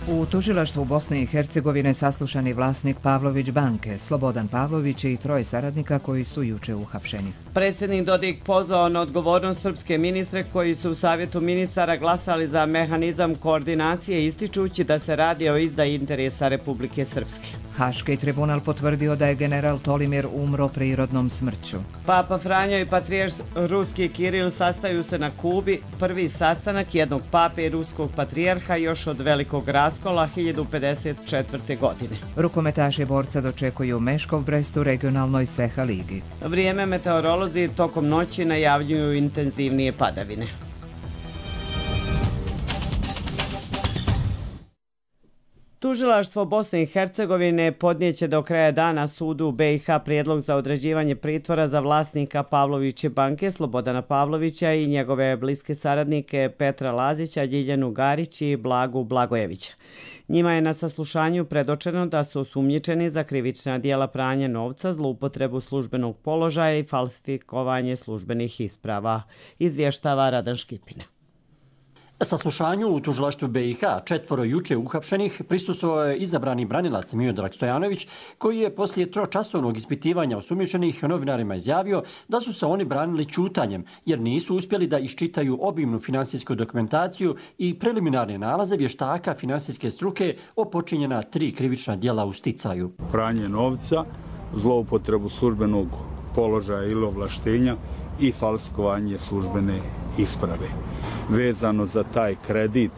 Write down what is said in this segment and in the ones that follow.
U tužilaštvu Bosne i Hercegovine saslušani vlasnik Pavlović banke, Slobodan Pavlović i 3 saradnika koji su juče uhapšeni. Predsjednik Dodik pozvao na odgovornost srpske ministre koji su u Savjetu ministara glasali za mehanizam koordinacije, ističući da se radi o izdaji interesa Republike Srpske. Haški tribunal potvrdio da je general Tolimir umro prirodnom smrću. Papa Franjo i patrijarh ruski Kiril sastaju se na Kubi, prvi sastanak jednog pape i ruskog patrijarha još od velikog raskola 1054. godine. Rukometaši borca dočekuju Meškov Brest u regionalnoj Seha ligi. Vrijeme meteorolozi tokom noći najavljuju intenzivnije padavine. Tužilaštvo Bosne i Hercegovine podnijeće do kraja dana sudu BiH prijedlog za određivanje pritvora za vlasnika Pavloviće banke Slobodana Pavlovića i njegove bliske saradnike Petra Lazića, Ljiljanu Garić i Blagu Blagojevića. Njima je na saslušanju predočeno da su osumnjičeni za krivična djela pranja novca, zloupotrebu službenog položaja i falsifikovanje službenih isprava, izvještava Radan Škipina. Saslušanju u tužilaštvu BiH 4 juče uhapšenih prisustvovao je izabrani branilac Miodrag Stojanović, koji je poslije tročasovnog ispitivanja osumnjičenih novinarima izjavio da su se oni branili ćutanjem, jer nisu uspjeli da iščitaju obimnu finansijsku dokumentaciju i preliminarne nalaze vještaka finansijske struke o počinjena 3 krivična djela u sticaju. Pranje novca, zloupotrebu službenog položaja ili ovlaštenja i falsifikovanje službene isprave. Vezano za taj kredit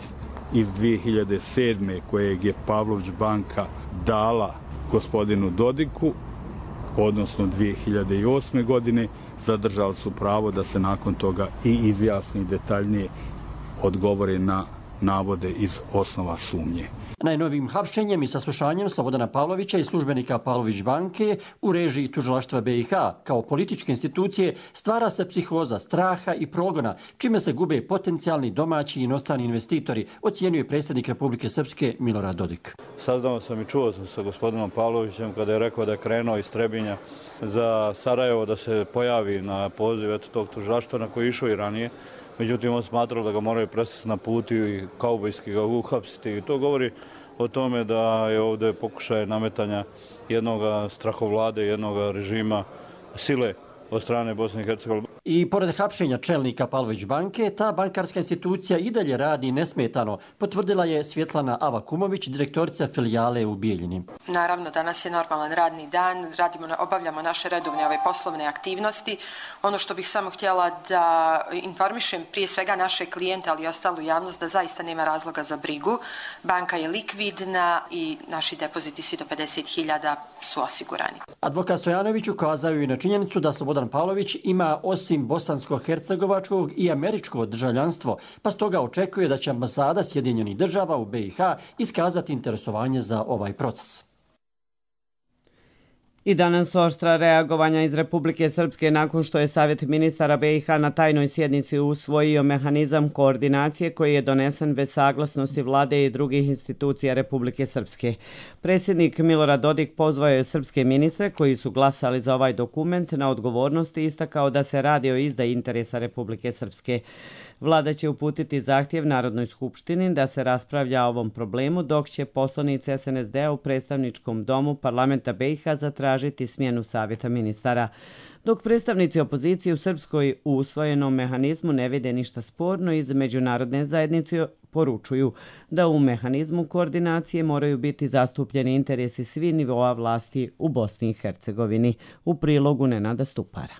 iz 2007. kojeg je Pavlović banka dala gospodinu Dodiku, odnosno 2008. godine, zadržali su pravo da se nakon toga i izjasni detaljnije odgovore na navode iz osnova sumnje. Najnovijim hapšenjem i saslušanjem Slobodana Pavlovića i službenika Pavlović banke u režiji tužilaštva BiH kao političke institucije stvara se psihoza straha i progona, čime se gube potencijalni domaći i inostrani investitori, ocjenjuje predsjednik Republike Srpske Milorad Dodik. Saznao sam i čuo sam sa gospodinom Pavlovićem kada je rekao da je krenuo iz Trebinja za Sarajevo da se pojavi na poziv tog tužilaštva na koji je išao i ranije. Međutim, on smatrao da ga moraju presjeti na putu i kaubojski ga uhapsiti. I to govori o tome da je ovdje pokušaj nametanja jednog strahovlade, jednog režima sile od strane Bosne i Hercegovine. I pored hapšenja čelnika Pavlović banke, ta bankarska institucija i dalje radi nesmetano, potvrdila je Svjetlana Avakumović, direktorica filijale u Bijeljini. Naravno, danas je normalan radni dan, obavljamo naše redovne poslovne aktivnosti. Ono što bih samo htjela da informišem prije svega naše klijente, ali i ostalu javnost, da zaista nema razloga za brigu. Banka je likvidna i naši depoziti svi do 50.000 su osigurani. Advokat Stojanović ukazao i na činjenicu da Slobodan Pavlović ima osim bosansko-hercegovačkog i američko državljanstvo, pa stoga očekuje da će ambasada Sjedinjenih država u BiH iskazati interesovanje za ovaj proces. I danas oštra reagovanja iz Republike Srpske nakon što je Savjet ministara BiH na tajnoj sjednici usvojio mehanizam koordinacije koji je donesen bez saglasnosti vlade i drugih institucija Republike Srpske. Predsjednik Milorad Dodik pozvao je srpske ministre koji su glasali za ovaj dokument na odgovornost i istakao da se radi o izdaji interesa Republike Srpske. Vlada će uputiti zahtjev Narodnoj skupštini da se raspravlja o ovom problemu, dok će poslanici SNSD-a u predstavničkom domu parlamenta BiH zatražiti smjenu Savjeta ministara. Dok predstavnici opozicije u Srpskoj u usvojenom mehanizmu ne vide ništa sporno, iz međunarodne zajednice poručuju da u mehanizmu koordinacije moraju biti zastupljeni interesi svih nivoa vlasti u Bosni i Hercegovini. U prilogu Nenada Stupara.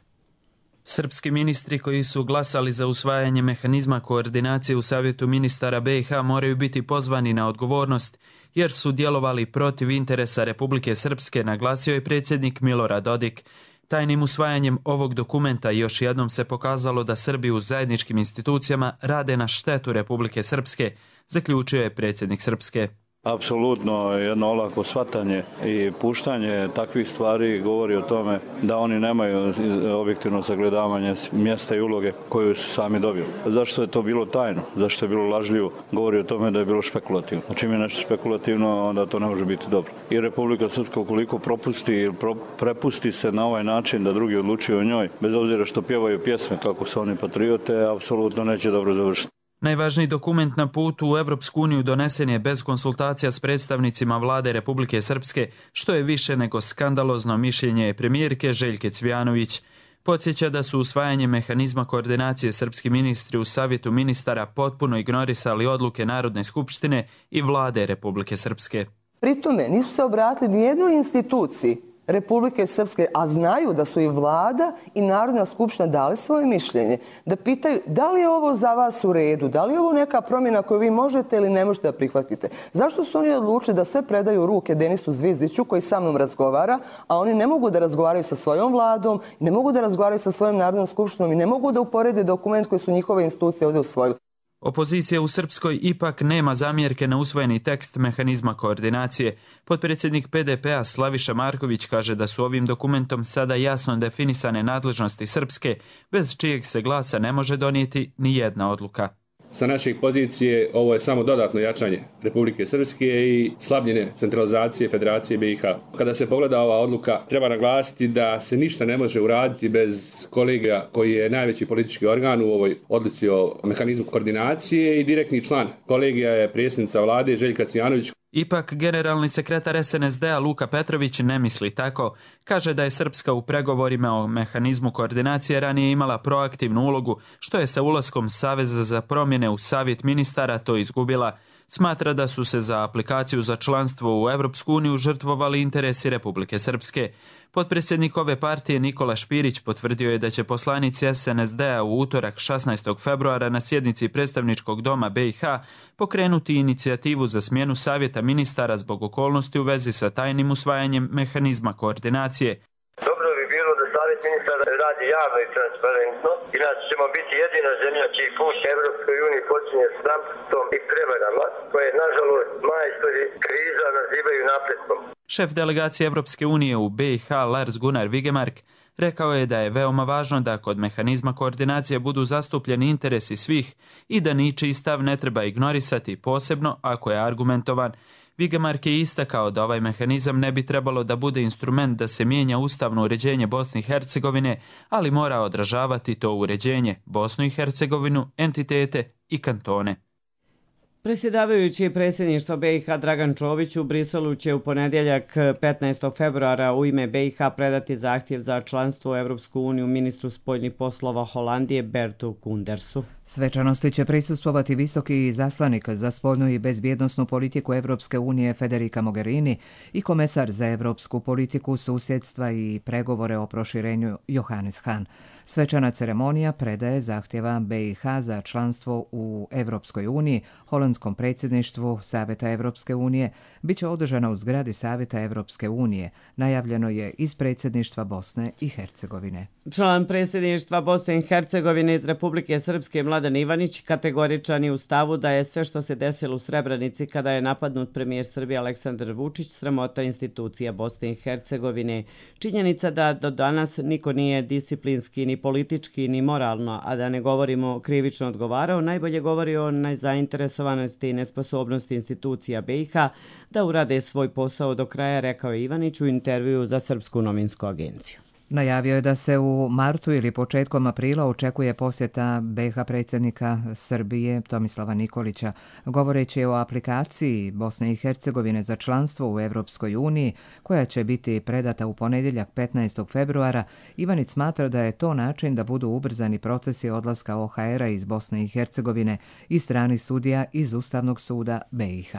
Srpski ministri koji su glasali za usvajanje mehanizma koordinacije u Savjetu ministara BiH moraju biti pozvani na odgovornost jer su djelovali protiv interesa Republike Srpske, naglasio je predsjednik Milorad Dodik. Tajnim usvajanjem ovog dokumenta još jednom se pokazalo da Srbi u zajedničkim institucijama rade na štetu Republike Srpske, zaključio je predsjednik Srpske. Apsolutno jedno olako shvatanje i puštanje takvih stvari govori o tome da oni nemaju objektivno sagledavanje mjesta i uloge koju su sami dobili. Zašto je to bilo tajno? Zašto je bilo lažljivo? Govori o tome da je bilo špekulativno. Čim je nešto špekulativno, onda to ne može biti dobro. I Republika Srpska ukoliko propusti ili prepusti se na ovaj način da drugi odlučuju o njoj, bez obzira što pjevaju pjesme kako su oni patriote, apsolutno neće dobro završiti. Najvažniji dokument na putu u Evropsku uniju donesen je bez konsultacija s predstavnicima vlade Republike Srpske, što je više nego skandalozno mišljenje premijerke Željke Cvijanović. Podsjeća da su usvajanjem mehanizma koordinacije srpski ministri u Savjetu ministara potpuno ignorisali odluke Narodne skupštine i vlade Republike Srpske. Pri tome nisu se obratili nijednoj instituciji Republike Srpske, a znaju da su i vlada i Narodna skupština dali svoje mišljenje, da pitaju da li je ovo za vas u redu, da li je ovo neka promjena koju vi možete ili ne možete da prihvatite. Zašto su oni odlučili da sve predaju u ruke Denisu Zvizdiću koji sa mnom razgovara, a oni ne mogu da razgovaraju sa svojom vladom, ne mogu da razgovaraju sa svojom Narodnom skupštinom i ne mogu da uporede dokument koji su njihove institucije ovdje usvojili. Opozicija u Srpskoj ipak nema zamjerke na usvojeni tekst mehanizma koordinacije. Potpredsjednik PDP-a Slaviša Marković kaže da su ovim dokumentom sada jasno definisane nadležnosti Srpske, bez čijeg se glasa ne može donijeti ni jedna odluka. Sa naše pozicije ovo je samo dodatno jačanje Republike Srpske i slabljenje centralizacije Federacije BiH. Kada se pogleda ova odluka, treba naglasiti da se ništa ne može uraditi bez kolegija koji je najveći politički organ u ovoj odluci o mehanizmu koordinacije i direktni član kolegija je predsjednica vlade Željka Cvijanović. Ipak, generalni sekretar SNSD-a Luka Petrović ne misli tako. Kaže da je Srpska u pregovorima o mehanizmu koordinacije ranije imala proaktivnu ulogu, što je sa ulaskom Saveza za promjene u Savjet ministara to izgubila. Smatra da su se za aplikaciju za članstvo u Evropsku uniju žrtvovali interesi Republike Srpske. Potpredsjednik ove partije Nikola Špirić potvrdio je da će poslanici SNSD-a u utorak 16. februara na sjednici predstavničkog doma BiH pokrenuti inicijativu za smjenu Savjeta ministara zbog okolnosti u vezi sa tajnim usvajanjem mehanizma koordinacije. Dobro bi bilo da Savjet ministara radi javno i transparentno, inače ćemo biti jedina zemlja čiji put Evropskoj uniji počinje s ramstvom i prevarama, koje nažalost majstori kriza nazivaju napretkom. Šef delegacije Evropske unije u BiH Lars Gunnar Vigemark rekao je da je veoma važno da kod mehanizma koordinacije budu zastupljeni interesi svih i da ničiji stav ne treba ignorisati, posebno ako je argumentovan. Vigemark je istakao da ovaj mehanizam ne bi trebalo da bude instrument da se mijenja ustavno uređenje Bosne i Hercegovine, ali mora odražavati to uređenje, Bosnu i Hercegovinu, entitete i kantone. Predsjedavajući predsjedništva BiH Dragan Čović u Briselu će u ponedjeljak 15. februara u ime BiH predati zahtjev za članstvo u Evropsku uniju ministru spoljnih poslova Holandije Bertu Kundersu. Svečanosti će prisustvovati visoki izaslanik za spoljnu i bezbjednosnu politiku Evropske unije Federica Mogherini i komesar za evropsku politiku, susjedstva i pregovore o proširenju Johannes Hahn. Svečana ceremonija predaje zahtjeva BiH za članstvo u Evropskoj uniji, holandskom predsjedništvu Savjeta Evropske unije, bit će održana u zgradi Savjeta Evropske unije. Najavljeno je iz predsjedništva Bosne i Hercegovine. Član predsjedništva Bosne i Hercegovine iz Republike Srpske Mladen Ivanić kategoričan je u stavu da je sve što se desilo u Srebrenici kada je napadnut premijer Srbije Aleksandar Vučić sramota institucija Bosne i Hercegovine. Činjenica da do danas niko nije disciplinski, ni politički, ni moralno, a da ne govorimo krivično odgovarao, najbolje govori o nezainteresovanosti i nesposobnosti institucija BiH da urade svoj posao do kraja, rekao je Ivanić u intervju za Srpsku novinsku agenciju. Najavio je da se u martu ili početkom aprila očekuje posjeta BiH predsjednika Srbije Tomislava Nikolića. Govoreći o aplikaciji Bosne i Hercegovine za članstvo u Evropskoj uniji, koja će biti predata u ponedjeljak 15. februara, Ivanić smatra da je to način da budu ubrzani procesi odlaska OHR-a iz Bosne i Hercegovine i stranih sudija iz Ustavnog suda BiH.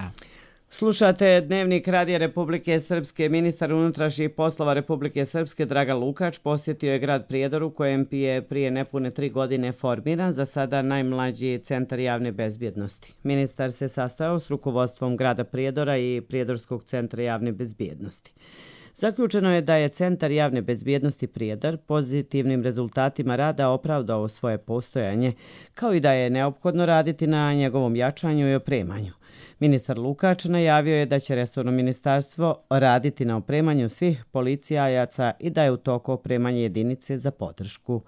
Slušate Dnevnik Radija Republike Srpske. Ministar unutrašnjih poslova Republike Srpske Dragan Lukač posjetio je grad Prijedor u kojem je prije nepune 3 godine formiran za sada najmlađi centar javne bezbjednosti. Ministar se sastao s rukovodstvom grada Prijedora i Prijedorskog centra javne bezbjednosti. Zaključeno je da je Centar javne bezbjednosti Prijedor pozitivnim rezultatima rada opravdao svoje postojanje, kao i da je neophodno raditi na njegovom jačanju i opremanju. Ministar Lukač najavio je da će resorno ministarstvo raditi na opremanju svih policajaca i da je u toku opremanje jedinice za podršku.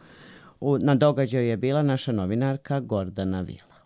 Na događaju je bila naša novinarka Gordana Vila.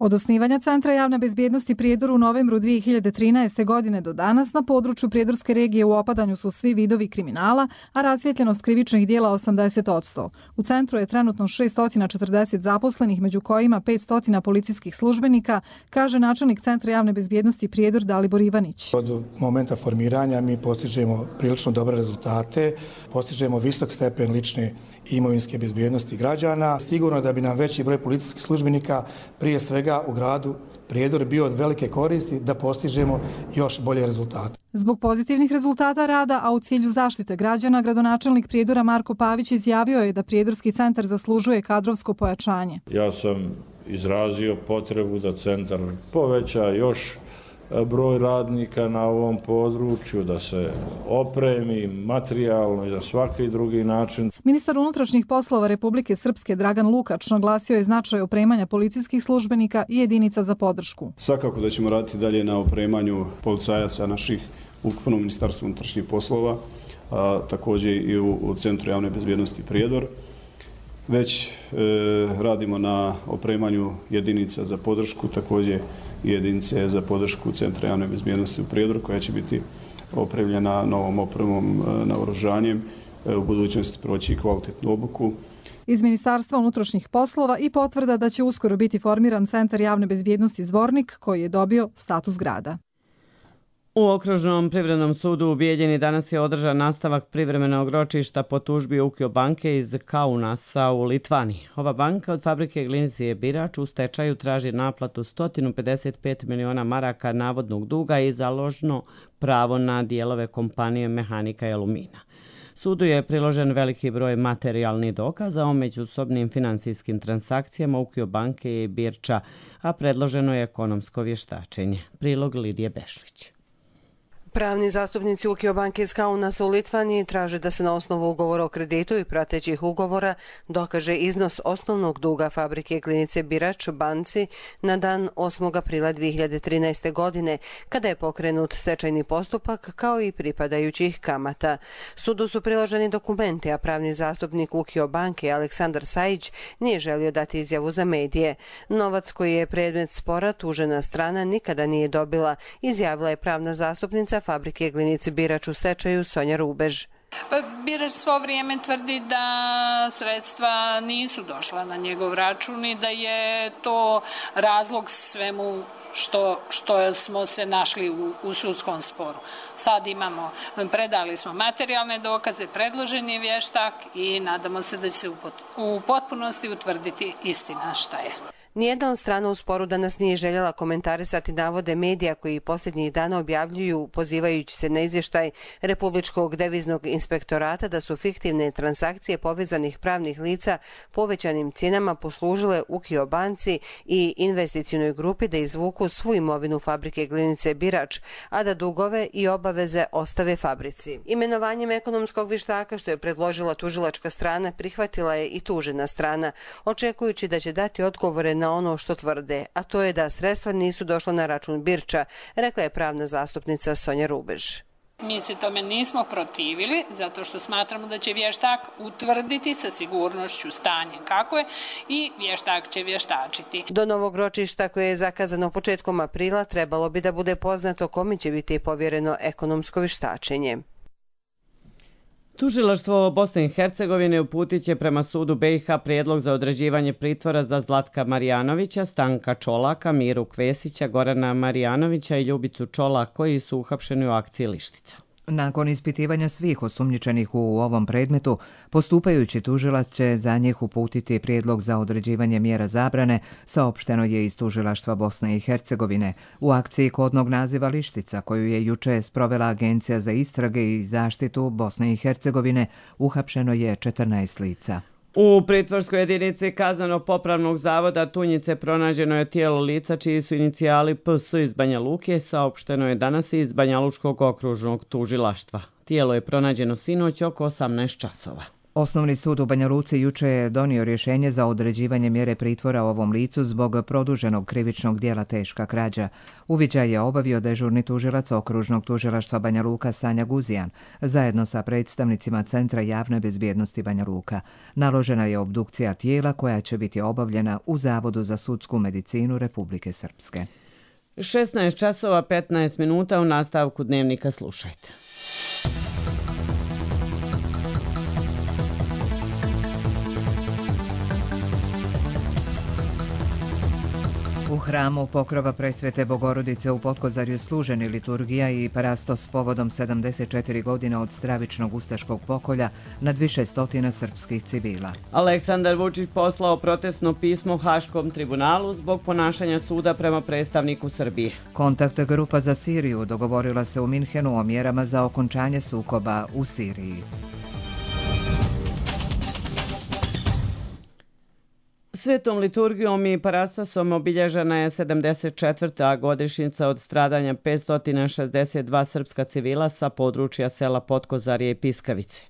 Od osnivanja Centra javne bezbjednosti Prijedor u novembru 2013. godine do danas na području Prijedorske regije u opadanju su svi vidovi kriminala, a rasvijetljenost krivičnih dijela 80%. U centru je trenutno 640 zaposlenih, među kojima 500 policijskih službenika, kaže načelnik Centra javne bezbjednosti Prijedor Dalibor Ivanić. Od momenta formiranja mi postižemo prilično dobre rezultate, postižemo visok stepen lične i imovinske bezbjednosti građana. Sigurno da bi nam veći broj policijskih službenika, prije svega u gradu Prijedor, bio od velike koristi da postižemo još bolje rezultate. Zbog pozitivnih rezultata rada, a u cilju zaštite građana, gradonačelnik Prijedora Marko Pavić izjavio je da Prijedorski centar zaslužuje kadrovsko pojačanje. Ja sam izrazio potrebu da centar poveća još broj radnika na ovom području, da se opremi materijalno i na svaki drugi način. Ministar unutrašnjih poslova Republike Srpske Dragan Lukač naglasio je značaj opremanja policijskih službenika i jedinica za podršku. Svakako da ćemo raditi dalje na opremanju policajaca naših ukupno Ministarstva unutrašnjih poslova, također i u Centru javne bezbjednosti Prijedor. Već radimo na opremanju jedinica za podršku, također i jedinice za podršku Centra javne bezbjednosti u Prijedoru, koja će biti opremljena novom opremom, naoružanjem, u budućnosti proći kvalitetnu obuku. Iz Ministarstva unutrašnjih poslova i potvrda da će uskoro biti formiran Centar javne bezbjednosti Zvornik, koji je dobio status grada. U Okružnom privrednom sudu u Bijeljini danas je održan nastavak privremenog ročišta po tužbi Ukio banke iz Kaunasa u Litvaniji. Ova banka od fabrike Glinicije Birač u stečaju traži naplatu 155 miliona maraka navodnog duga i založno pravo na dijelove kompanije Mehanika i Alumina. Sudu je priložen veliki broj materijalnih dokaza o međusobnim finansijskim transakcijama Ukio banke i Birča, a predloženo je ekonomsko vještačenje. Prilog Lidije Bešlić. Pravni zastupnici Ukio banke iz Kaunasa u Litvaniji traže da se na osnovu ugovora o kreditu i pratećih ugovora dokaže iznos osnovnog duga fabrike Glinice Birač banci na dan 8. aprila 2013. godine, kada je pokrenut stečajni postupak kao i pripadajućih kamata. Sudu su priloženi dokumenti, a pravni zastupnik Ukio banke Aleksandar Sajić nije želio dati izjavu za medije. Novac koji je predmet spora tužena strana nikada nije dobila, izjavila je pravna zastupnica fabrike Glinice Birač u stečaju Sonja Rubež. Birač svo vrijeme tvrdi da sredstva nisu došla na njegov račun i da je to razlog svemu što smo se našli u sudskom sporu. Sad predali smo materijalne dokaze, predložen je vještak i nadamo se da će se u potpunosti utvrditi istina šta je. Nijedna od strana u sporu danas nije željela komentarisati navode medija koji posljednjih dana objavljuju, pozivajući se na izvještaj Republičkog deviznog inspektorata, da su fiktivne transakcije povezanih pravnih lica povećanim cijenama poslužile Ukio banci i investicionoj grupi da izvuku svu imovinu fabrike Glinice Birač, a da dugove i obaveze ostave fabrici. Imenovanjem ekonomskog vještaka, što je predložila tužilačka strana, prihvatila je i tužena strana, očekujući da će dati odgovore na ono što tvrde, a to je da sredstva nisu došla na račun Birča, rekla je pravna zastupnica Sonja Rubež. Mi se tome nismo protivili, zato što smatramo da će vještak utvrditi sa sigurnošću stanje kako je i vještak će vještačiti. Do novog ročišta koje je zakazano početkom aprila trebalo bi da bude poznato kome će biti povjereno ekonomsko vještačenje. Tužilaštvo Bosne i Hercegovine uputit će prema sudu BiH prijedlog za određivanje pritvora za Zlatka Marijanovića, Stanka Čolaka, Miru Kvesića, Gorana Marijanovića i Ljubicu Čolak, koji su uhapšeni u akciji Lištica. Nakon ispitivanja svih osumnjičenih u ovom predmetu, postupajući tužilac će za njih uputiti prijedlog za određivanje mjera zabrane, saopšteno je iz Tužilaštva Bosne i Hercegovine. U akciji kodnog naziva Lištica, koju je juče sprovela Agencija za istrage i zaštitu Bosne i Hercegovine, uhapšeno je 14 lica. U pritvorskoj jedinici Kazneno-popravnog zavoda Tunjice pronađeno je tijelo lica čiji su inicijali PS iz Banja Luke, saopšteno je danas iz Banja Lučkog okružnog tužilaštva. Tijelo je pronađeno sinoć oko 18 časova. Osnovni sud u Banja Luci juče je donio rješenje za određivanje mjere pritvora ovom licu zbog produženog krivičnog djela teška krađa. Uviđaj je obavio dežurni tužilac okružnog tužilaštva Banja Luka Sanja Guzijan, zajedno sa predstavnicima Centra javne bezbjednosti Banja Luka. Naložena je obdukcija tijela koja će biti obavljena u Zavodu za sudsku medicinu Republike Srpske. 16 časova 15 minuta u nastavku dnevnika slušajte. U hramu Pokrova Presvete Bogorodice u Potkozarju služeni liturgija i parastos povodom 74 godine od stravičnog ustaškog pokolja nad više stotina srpskih civila. Aleksandar Vučić poslao protestno pismo Haškom tribunalu zbog ponašanja suda prema predstavniku Srbije. Kontakt grupa za Siriju dogovorila se u Minhenu o mjerama za okončanje sukoba u Siriji. Svetom liturgijom i parastosom obilježena je 74. godišnjica od stradanja 562 srpska civila sa područja sela Potkozarje i Piskavice.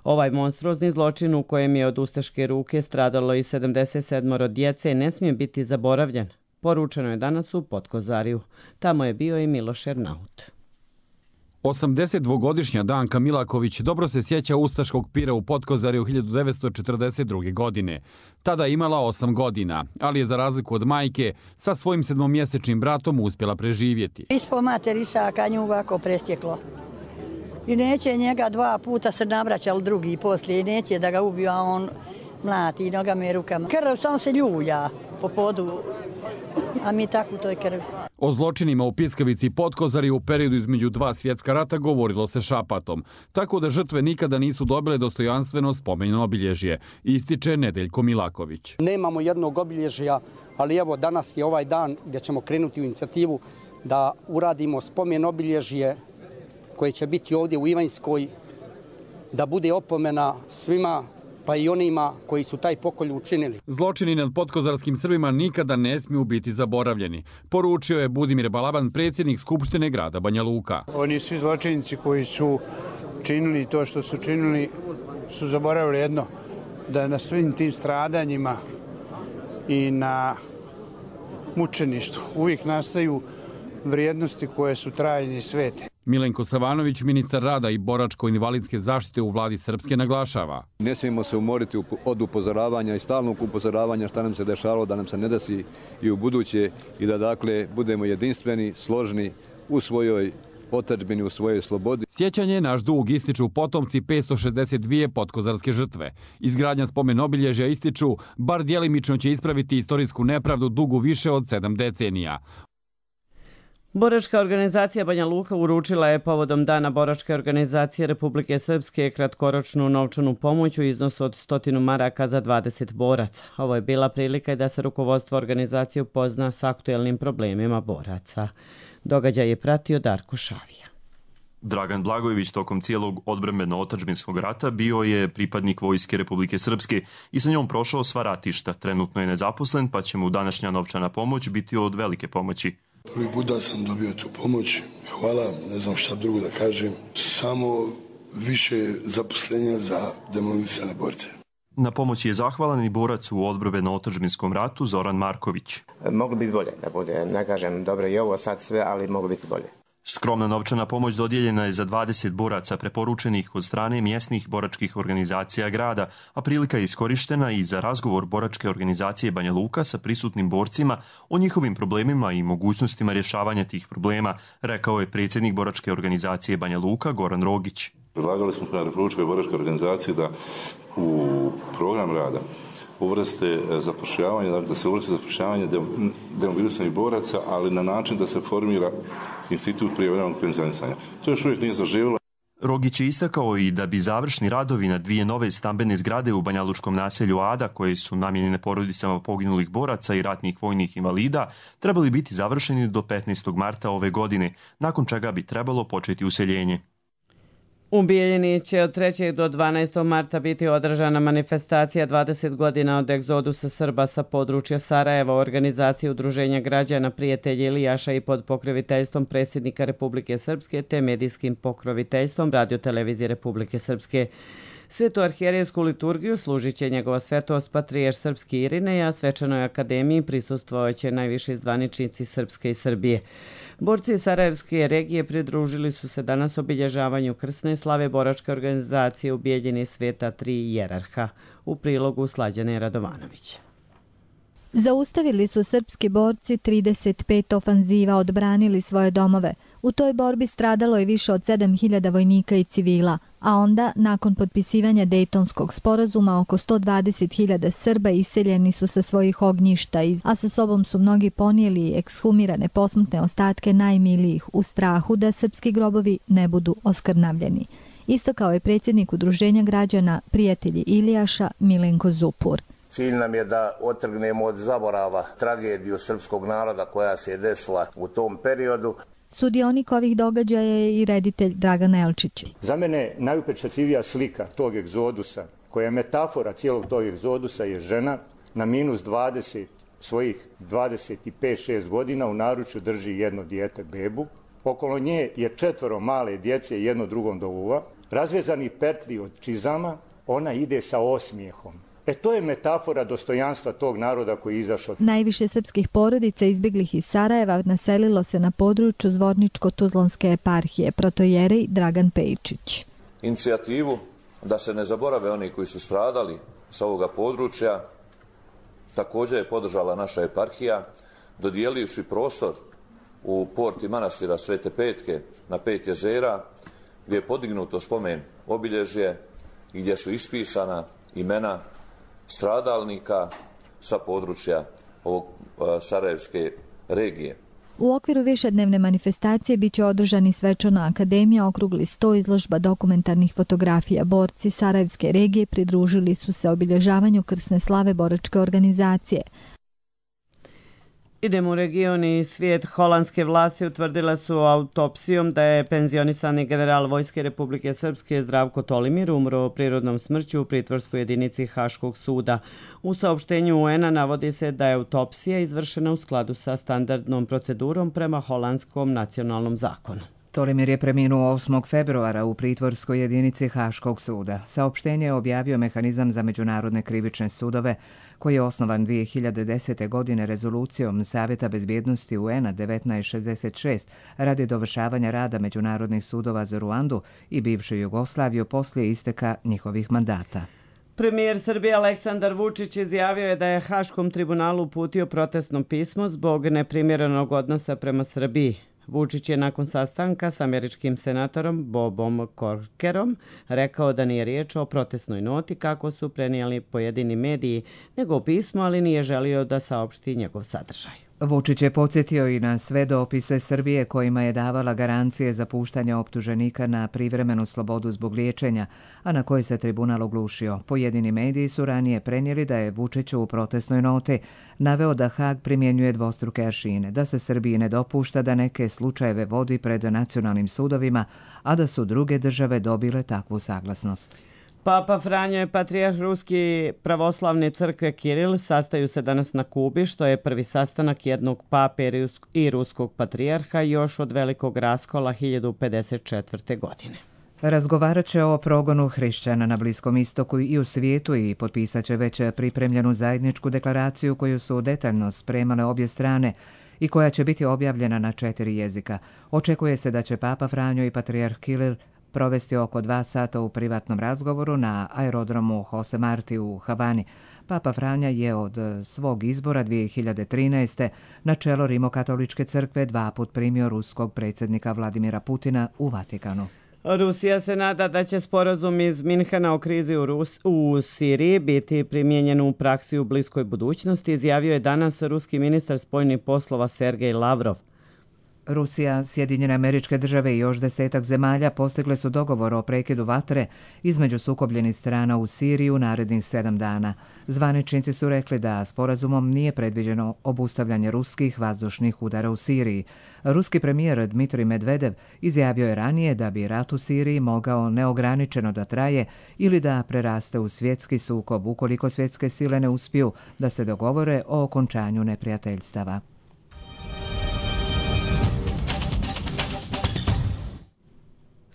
Ovaj monstruozni zločin u kojem je od ustaške ruke stradalo i 77 djece ne smije biti zaboravljen. Poručeno je danas u Potkozarju. Tamo je bio i Miloš Ernaut. 82-godišnja Danka Milaković dobro se sjeća ustaškog pira u Potkozarju 1942. godine. Tada je imala 8 godina, ali je za razliku od majke sa svojim 7-mjesečnim bratom uspjela preživjeti. Ispod materišaka nju ovako presjeklo. I neće njega 2 puta se navraćali drugi poslije i neće da ga ubiju, a on mlati nogama i rukama. Krv samo se ljulja po podu, a mi tako u toj krvi. O zločinima u Piskavici i Potkozarju u periodu između 2 svjetska rata govorilo se šapatom, tako da žrtve nikada nisu dobile dostojanstveno spomenjeno obilježje, ističe Nedeljko Milaković. Nemamo jednog obilježja, ali evo danas je ovaj dan gdje ćemo krenuti u inicijativu da uradimo spomen obilježje koje će biti ovdje u Ivanjskoj, da bude opomena svima pa i onima koji su taj pokolj učinili. Zločini nad potkozarskim Srbima nikada ne smiju biti zaboravljeni, poručio je Budimir Balaban, predsjednik Skupštine grada Banja Luka. Oni svi zločinici koji su činili to što su činili su zaboravili jedno, da na svim tim stradanjima i na mučeništvu uvijek nastaju vrijednosti koje su trajne i svete. Milenko Savanović, ministar rada i boračko-invalidske zaštite u vladi Srpske, naglašava. Ne smijemo se umoriti od upozoravanja i stalnog upozoravanja šta nam se dešavalo, da nam se ne desi i u buduće i da dakle budemo jedinstveni, složni u svojoj otadžbini, u svojoj slobodi. Sjećanje je naš dug, ističu potomci 562 potkozarske žrtve. Izgradnja spomen obilježja, ističu, bar djelimično će ispraviti istorijsku nepravdu dugu više od 7 decenija. Boračka organizacija Banja Luka uručila je povodom Dana Boračke organizacije Republike Srpske kratkoročnu novčanu pomoć u iznosu od 100 maraka za 20 boraca. Ovo je bila prilika i da se rukovodstvo organizacije upozna s aktuelnim problemima boraca. Događaj je pratio Darko Šavija. Dragan Blagojević tokom cijelog odbrambeno-otadžbinskog rata bio je pripadnik Vojske Republike Srpske i sa njom prošao sva ratišta. Trenutno je nezaposlen, pa će mu današnja novčana pomoć biti od velike pomoći. Prvi put da sam dobio tu pomoć, hvala, ne znam šta drugo da kažem, samo više zaposlenja za demobilisane borce. Na pomoći je zahvalan i borac u odbrambeno-otadžbinskom ratu Zoran Marković. Moglo bi bolje da bude, ne kažem dobro i ovo sad sve, ali moglo biti bolje. Skromna novčana pomoć dodijeljena je za 20 boraca preporučenih od strane mjesnih boračkih organizacija grada, a prilika je iskorištena i za razgovor Boračke organizacije Banja Luka sa prisutnim borcima o njihovim problemima i mogućnostima rješavanja tih problema, rekao je predsjednik Boračke organizacije Banja Luka Goran Rogić. Predlagali smo na Republičkoj boračkoj organizaciji da u program rada uvrste zapošljavanje, da se uvrste zapošljavanje demobilisanih boraca, ali na način da se formira institut prijevremenog penzionisanja. To još uvijek nije zaživjelo. Rogić je istakao i da bi završni radovi na 2 nove stambene zgrade u banjalučkom naselju Ada, koje su namijenjene porodicama poginulih boraca i ratnih vojnih invalida, trebali biti završeni do 15. marta ove godine, nakon čega bi trebalo početi useljenje. U Bijeljini će od 3. do 12. marta biti održana manifestacija 20 godina od egzodusa Srba sa područja Sarajeva, organizacije Udruženja građana Prijatelji Ilijaša i pod pokroviteljstvom predsjednika Republike Srpske te medijskim pokroviteljstvom Radiotelevizije Republike Srpske. Svetu arhijerejsku liturgiju služit će njegova svetost patrijarh srpski Irinej, a svečanoj akademiji prisustvovaće najviši zvaničnici Srpske i Srbije. Borci Sarajevske regije pridružili su se danas obilježavanju krsne slave boračke organizacije u Bijeljini sveta 3 jerarha. U prilogu Slađane Radovanović. Zaustavili su srpski borci 35 ofanziva, odbranili svoje domove. U toj borbi stradalo je više od 7000 vojnika i civila, a onda, nakon potpisivanja Dejtonskog sporazuma, oko 120.000 Srba iseljeni su sa svojih ognjišta, a sa sobom su mnogi ponijeli ekshumirane posmrtne ostatke najmilijih u strahu da srpski grobovi ne budu oskrnavljeni. Istakao je predsjednik Udruženja građana Prijatelji Ilijaša Milenko Zupur. Cilj nam je da otrgnemo od zaborava tragediju srpskog naroda koja se je desila u tom periodu. Sudionik ovih događaja je i reditelj Dragan Elčić. Za mene najupečatljivija slika tog egzodusa, koja je metafora cijelog tog egzodusa, je žena na minus 20 svojih 25-6 godina u naručju drži jedno dijete, bebu. Okolo nje je 4 male djece, jedno drugom do uva. Razvezani pertli od čizama, ona ide sa osmijehom. To je metafora dostojanstva tog naroda koji je izašao. Najviše srpskih porodica izbjeglih iz Sarajeva naselilo se na području Zvorničko-Tuzlanske eparhije, protojerej Dragan Pejčić. Inicijativu da se ne zaborave oni koji su stradali sa ovoga područja također je podržala naša eparhija, dodijelivši prostor u porti manastira Svete Petke na 5 jezera, gdje je podignuto spomen obilježje i gdje su ispisana imena stradalnika sa područja ovog Sarajevske regije. U okviru višednevne manifestacije biće održani svečana akademija, okrugli sto, izložba dokumentarnih fotografija. Borci Sarajevske regije pridružili su se obilježavanju krsne slave boračke organizacije. Idemo u region i svijet. Holandske vlasti utvrdile su autopsijom da je penzionisani general Vojske Republike Srpske Zdravko Tolimir umro prirodnom smrću u pritvorskoj jedinici Haškog suda. U saopštenju UN-a navodi se da je autopsija izvršena u skladu sa standardnom procedurom prema holandskom nacionalnom zakonu. Tolimir je preminuo 8. februara u pritvorskoj jedinici Haškog suda. Saopštenje je objavio Mehanizam za međunarodne krivične sudove, koji je osnovan 2010. godine rezolucijom Savjeta bezbjednosti UN-a 1966 radi dovršavanja rada međunarodnih sudova za Ruandu i bivšu Jugoslaviju poslije isteka njihovih mandata. Premijer Srbije Aleksandar Vučić izjavio je da je Haškom tribunalu uputio protestno pismo zbog neprimjerenog odnosa prema Srbiji. Vučić je nakon sastanka s američkim senatorom Bobom Corkerom rekao da nije riječ o protestnoj noti kako su prenijeli pojedini mediji, nego o pismu, ali nije želio da saopšti njegov sadržaj. Vučić je podsjetio i na sve dopise Srbije kojima je davala garancije za puštanje optuženika na privremenu slobodu zbog liječenja, a na koje se tribunal oglušio. Pojedini mediji su ranije prenijeli da je Vučić u protestnoj noti naveo da Hag primjenjuje dvostruke aršine, da se Srbiji ne dopušta da neke slučajeve vodi pred nacionalnim sudovima, a da su druge države dobile takvu saglasnost. Papa Franjo i patrijarh Ruski pravoslavne crkve Kiril sastaju se danas na Kubi, što je prvi sastanak jednog pape i ruskog patrijarha još od velikog raskola 1054. godine. Razgovarat će o progonu hrišćana na Bliskom istoku i u svijetu i potpisat će već pripremljenu zajedničku deklaraciju koju su detaljno spremale obje strane i koja će biti objavljena na 4 jezika. Očekuje se da će Papa Franjo i patrijarh Kiril provesti oko 2 sata u privatnom razgovoru na aerodromu Jose Marti u Havani. Papa Franja je od svog izbora 2013. na čelo Rimokatoličke crkve 2 put primio ruskog predsjednika Vladimira Putina u Vatikanu. Rusija se nada da će sporazum iz Minhena o krizi u Siriji biti primijenjen u praksi u bliskoj budućnosti, izjavio je danas ruski ministar spoljnih poslova Sergej Lavrov. Rusija, Sjedinjene Američke Države i još 10 zemalja postigle su dogovor o prekidu vatre između sukobljenih strana u Siriji u narednih 7 dana. Zvaničnici su rekli da sporazumom nije predviđeno obustavljanje ruskih vazdušnih udara u Siriji. Ruski premijer Dmitrij Medvedev izjavio je ranije da bi rat u Siriji mogao neograničeno da traje ili da preraste u svjetski sukob ukoliko svjetske sile ne uspiju da se dogovore o okončanju neprijateljstava.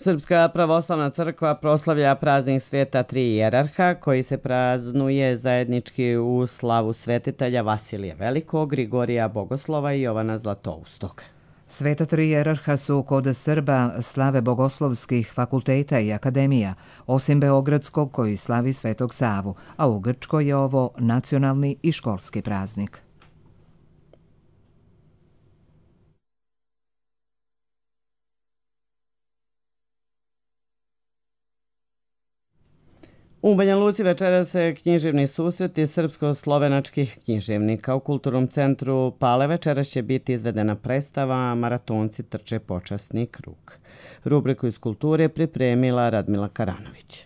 Srpska pravoslavna crkva proslavlja praznik sveta tri hijerarha koji se praznuje zajednički u slavu svetitelja Vasilija Velikog, Grigorija Bogoslova i Jovana Zlatoustog. Sveta tri hijerarha su kod Srba slave bogoslovskih fakulteta i akademija, osim Beogradskog koji slavi Svetog Savu, a u Grčkoj je ovo nacionalni i školski praznik. U Banja Luci večera se književni susreti srpsko-slovenačkih književnika. U Kulturnom centru Pale večera će biti izvedena predstava Maratonci trče počasni krug. Rubriku iz kulture pripremila Radmila Karanović.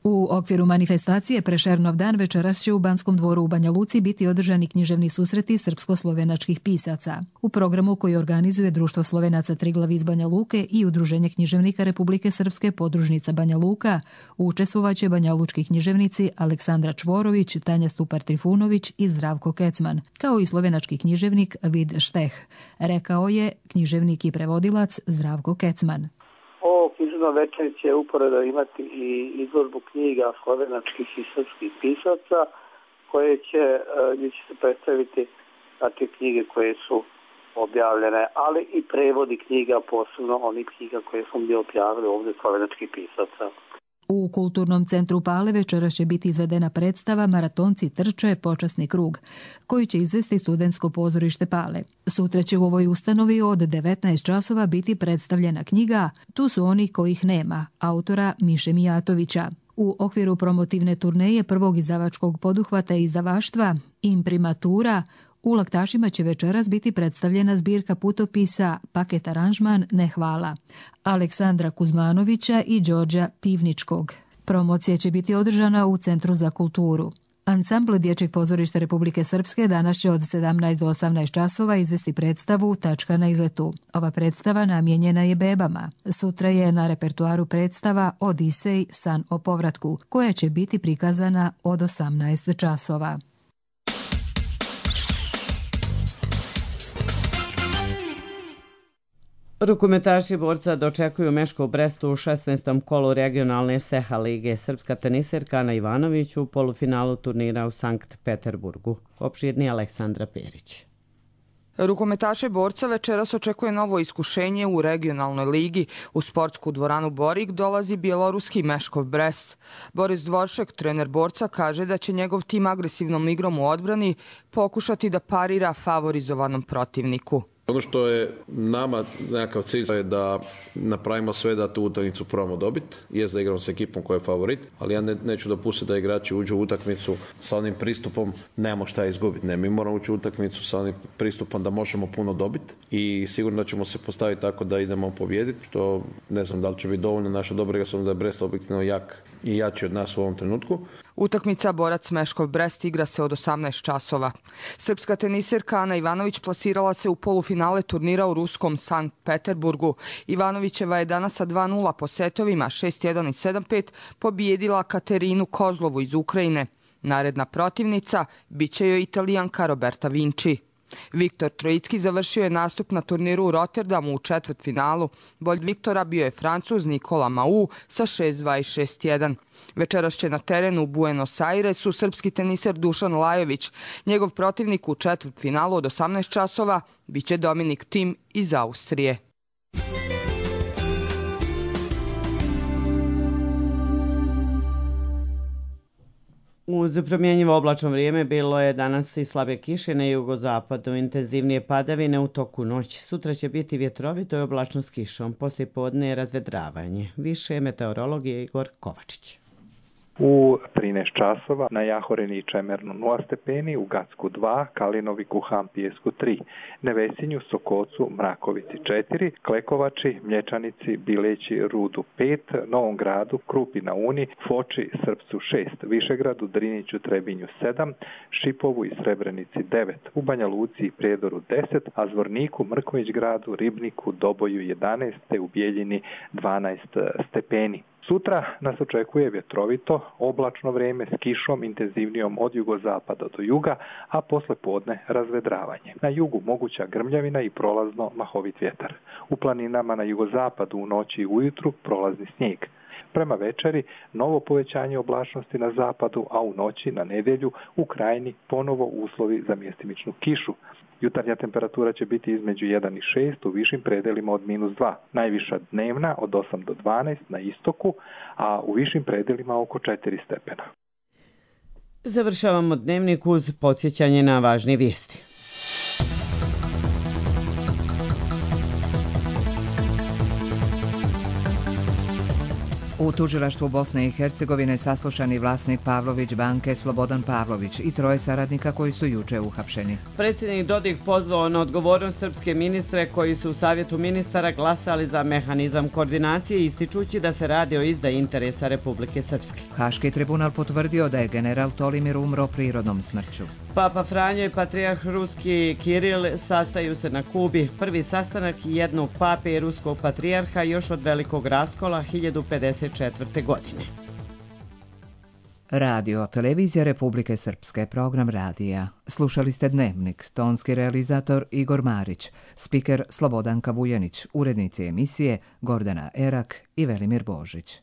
U okviru manifestacije Prešernov dan večeras će u Banskom dvoru u Banja Luci biti održani književni susreti srpsko-slovenačkih pisaca. U programu koji organizuje Društvo Slovenaca Triglav iz Banja Luke i Udruženje književnika Republike Srpske podružnica Banja Luka učestvovaće banjalučki književnici Aleksandra Čvorović, Tanja Stupar-Trifunović i Zdravko Kecman, kao i slovenački književnik Vid Šteh, rekao je književnik i prevodilac Zdravko Kecman. Ovo književno večer će uporedo imati i izložbu knjiga slovenačkih i srpskih pisaca gdje će se predstaviti te knjige koje su objavljene, ali i prevodi knjiga, posebno onih knjiga koje smo mi objavili ovdje slovenačkih pisaca. U Kulturnom centru Pale večera će biti izvedena predstava Maratonci trče počasni krug, koju će izvesti Studentsko pozorište Pale. Sutra će u ovoj ustanovi od 19 časova biti predstavljena knjiga Tu su oni kojih nema, autora Miše Mijatovića. U okviru promotivne turneje prvog izdavačkog poduhvata izdavaštva Imprimatura u Laktašima će večeras biti predstavljena zbirka putopisa Paket aranžman Ne hvala Aleksandra Kuzmanovića i Đorđa Pivničkog. Promocija će biti održana u Centru za kulturu. Ansambl Dječjeg pozorišta Republike Srpske danas će od 17 do 18 časova izvesti predstavu Tačka na izletu. Ova predstava namijenjena je bebama. Sutra je na repertuaru predstava Odisej, san o povratku, koja će biti prikazana od 18 časova. Rukometaši borca dočekuju Meško u Brestu u 16. kolu regionalne Seha lige. Srpska teniserka Ana Ivanović u polufinalu turnira u Sankt Peterburgu. Opširni Aleksandra Perić. Rukometaše borca večeras očekuje novo iskušenje u regionalnoj ligi. U sportsku dvoranu Borik dolazi bjeloruski Meškov Brest. Boris Dvoršek, trener borca, kaže da će njegov tim agresivnom igrom u odbrani pokušati da parira favorizovanom protivniku. Ono što je nama nekakav cilj je da napravimo sve da tu utakmicu probamo dobiti. Jest da igramo s ekipom koja je favorit, ali ja neću dopustiti da igrači uđu u utakmicu sa onim pristupom nemamo šta izgubiti. Ne, mi moramo ući u utakmicu sa onim pristupom da možemo puno dobiti i sigurno da ćemo se postaviti tako da idemo pobijediti, što ne znam da li će biti dovoljno. Naša dobra igra, s obzirom da je Brest objektivno jak i jači od nas u ovom trenutku. Utakmica borac Meškov Brest igra se od 18 časova. Srpska teniserka Ana Ivanović plasirala se u polufinale turnira u ruskom Sankt Peterburgu. Ivanovićeva je danas sa 2:0 po setovima 6-1 i 7-5 pobijedila Katerinu Kozlovu iz Ukrajine. Naredna protivnica biće joj Italijanka Roberta Vinci. Viktor Trojicki završio je nastup na turniru u Rotterdamu u četvrtfinalu. Bolj Viktora bio je Francuz Nikola Mau sa 6-2 i 6-1. Večeras će na terenu u Buenos Airesu srpski teniser Dušan Lajović. Njegov protivnik u četvrtfinalu od 18 časova biće Dominik Thiem iz Austrije. Uz promjenjivo oblačno vrijeme bilo je danas i slabe kiše na jugozapadu, intenzivnije padavine u toku noći. Sutra će biti vjetrovito i oblačno s kišom, poslijepodne je razvedravanje. Više meteorolog je Igor Kovačić. U 13 časova na Jahoreni i Čemernu 0 stepeni, u Gacku 2, Kalinoviku, Hampijesku 3, Nevesinju, Sokocu, Mrakovici 4, Klekovači, Mlječanici, Bileći, Rudu 5, Novom Gradu, Krupi na Uni, Foči, Srpcu 6, Višegradu, Driniću, Trebinju 7, Šipovu i Srebrenici 9, u Banja Luci i Prijedoru 10, a Zvorniku, Mrković gradu, Ribniku, Doboju 11, te u Bijeljini 12 stepeni. Sutra nas očekuje vjetrovito, oblačno vrijeme s kišom intenzivnijom od jugozapada do juga, a posle podne razvedravanje. Na jugu moguća grmljavina i prolazno mahovit vjetar. U planinama na jugozapadu u noći i ujutru prolazni snijeg. Prema večeri novo povećanje oblačnosti na zapadu, a u noći na nedjelju u krajini ponovo uslovi za mjestimičnu kišu. Jutarnja temperatura će biti između 1 i 6, u višim predelima od -2. Najviša dnevna od 8 do 12 na istoku, a u višim predelima oko 4 stepena. Završavamo dnevnik uz podsjećanje na važne vijesti. U tužilaštvu Bosne i Hercegovine saslušani vlasnik Pavlović banke Slobodan Pavlović i 3 saradnika koji su juče uhapšeni. Predsjednik Dodik pozvao na odgovornost srpske ministre koji su u Savjetu ministara glasali za mehanizam koordinacije, ističući da se radi o izdaji interesa Republike Srpske. Haški tribunal potvrdio da je general Tolimir umro prirodnom smrću. Papa Franjo i patrijarh ruski Kiril sastaju se na Kubi. Prvi sastanak jednog pape i ruskog patrijarha još od velikog raskola 1054. godine. Radio Televizija Republike Srpske, program radija. Slušali ste Dnevnik, tonski realizator Igor Marić, spiker Slobodanka Vujanić, urednici emisije Gordana Erak i Velimir Božić.